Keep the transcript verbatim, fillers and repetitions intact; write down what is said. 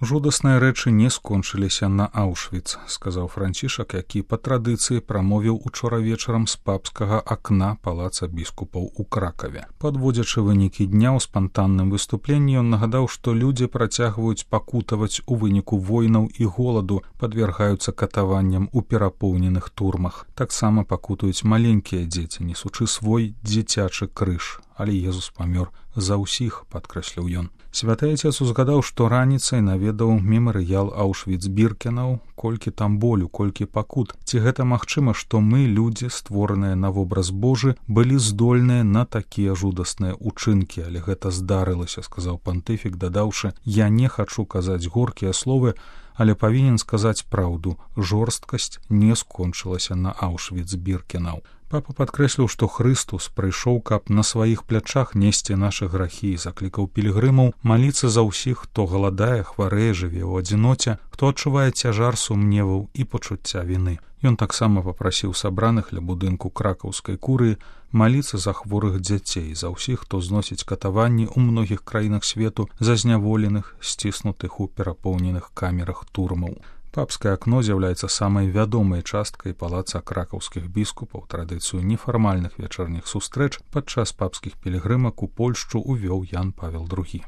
Жудасныя рэчы не скончыліся на Аўшвіц, сказаў Францішак, які па традыцыі прамовіў учора вечарам з папскага акна палаца біскупаў у Кракаве. Падводзячы вынікі дня ў спантанным выступленні, ён нагадаў, што людзі працягваюць пакутаваць у выніку войнаў і голаду, падвяргаюцца катаванням у перапоўненых турмах. Таксама пакутаюць маленькія дзеці, несучы свой дзіцячы крыж. Але Езус памёр за ўсіх, падкрэсліў ён. Святы Отец узгадаў, што раніцай наведаў мемарыял Аўшвіц-Біркенаў, колькі там болю, колькі пакут. Ці гэта магчыма, што мы, людзі, створаныя на вобраз Божы, былі здольныя на такія жудасныя ўчынкі, але гэта здарылася, сказаў пантыфік, дадаўшы: «Я не хачу казаць горкія словы, але павінен сказаць праўду. Жорсткасць не скончылася на Аўшвіц-Біркенаў». Папа падкрэсліў, што Хрыстус прыйшоў, каб на сваіх плячах несці нашы грахі, і заклікаў пілігрымаў маліцца за ўсіх, хто галадае, хварэе, жыве ў адзіноце, хто адчувае цяжар сумневаў і пачуцця віны. Ён таксама папрасіў сабраных ля будынку кракаўскай курыі маліцца за хворых дзяцей, за ўсіх, хто зносіць катаванні ў многіх краінах свету, за зняволеных, сціснутых у перапоўненых камерах турмаў. Папскае акно з'яўляецца самай вядомай часткай палаца кракаўскіх біскупаў. Традыцыю нефармальных вечарніх сустрэч падчас папскіх пілігрымак у Польшчу увёў Ян Павел другі.